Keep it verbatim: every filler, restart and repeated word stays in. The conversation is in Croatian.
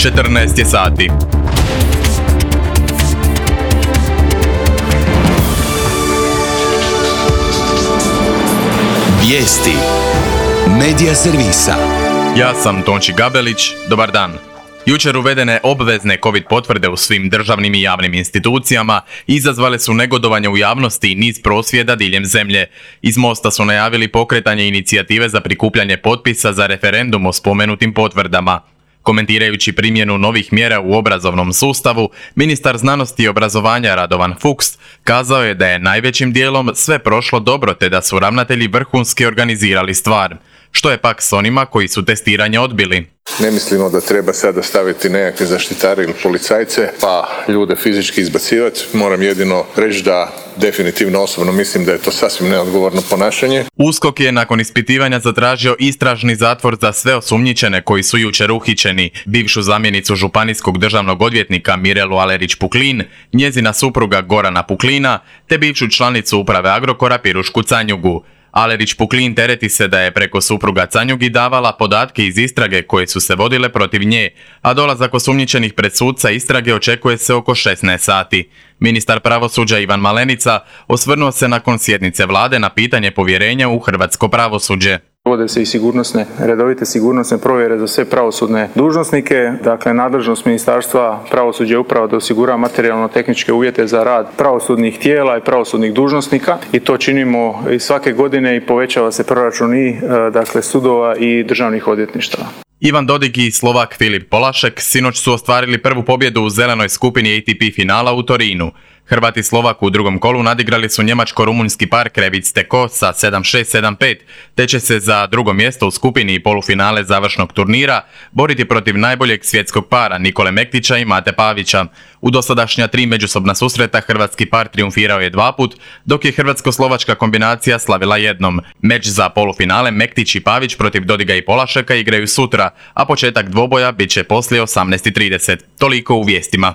četrnaest je sati. Vijesti Medija servisa. Ja sam Tonči Gabelić, dobar dan. Jučer uvedene obvezne COVID potvrde u svim državnim i javnim institucijama izazvale su negodovanje u javnosti i niz prosvjeda diljem zemlje. Iz Mosta su najavili pokretanje inicijative za prikupljanje potpisa za referendum o spomenutim potvrdama. Komentirajući primjenu novih mjera u obrazovnom sustavu, ministar znanosti i obrazovanja Radovan Fuchs kazao je da je najvećim dijelom sve prošlo dobro te da su ravnatelji vrhunski organizirali stvar. Što je pak s onima koji su testiranje odbili? Ne mislimo da treba sada staviti nekakve zaštitare ili policajce pa ljude fizički izbacivati. Moram jedino reći da definitivno osobno mislim da je to sasvim neodgovorno ponašanje. USKOK je nakon ispitivanja zatražio istražni zatvor za sve osumnjičene koji su jučer uhićeni. Bivšu zamjenicu županijskog državnog odvjetnika Mirelu Alerić-Puklin, njezina supruga Gorana Puklina te bivšu članicu uprave Agrokora Pirušku Canjugu. Alerić-Puklin tereti se da je preko supruga Canjugi davala podatke iz istrage koje su se vodile protiv nje, a dolazak osumnjičenih pred sudca istrage očekuje se oko šesnaest sati. Ministar pravosuđa Ivan Malenica osvrnuo se nakon sjednice vlade na pitanje povjerenja u hrvatsko pravosuđe. Vode se i sigurnosne, redovite sigurnosne provjere za sve pravosudne dužnosnike. Dakle, nadležnost Ministarstva pravosuđa je upravo da osigura materijalno-tehničke uvjete za rad pravosudnih tijela i pravosudnih dužnosnika i to činimo i svake godine i povećava se proračun i dakle, sudova i državnih odvjetništava. Ivan Dodig i Slovak Filip Polašek sinoć su ostvarili prvu pobjedu u zelenoj skupini A T P finala u Torinu. Hrvat i Slovak u drugom kolu nadigrali su njemačko-rumunjski par Krevic-Teko sa sedam šest sedam pet, te će se za drugo mjesto u skupini i polufinale završnog turnira boriti protiv najboljeg svjetskog para Nikole Mektića i Mate Pavića. U dosadašnja tri međusobna susreta hrvatski par triumfirao je dva put, dok je hrvatsko-slovačka kombinacija slavila jednom. Meč za polufinale Mektić i Pavić protiv Dodiga i Polašeka igraju sutra, a početak dvoboja bit će poslije osamnaest i trideset. Toliko u vijestima.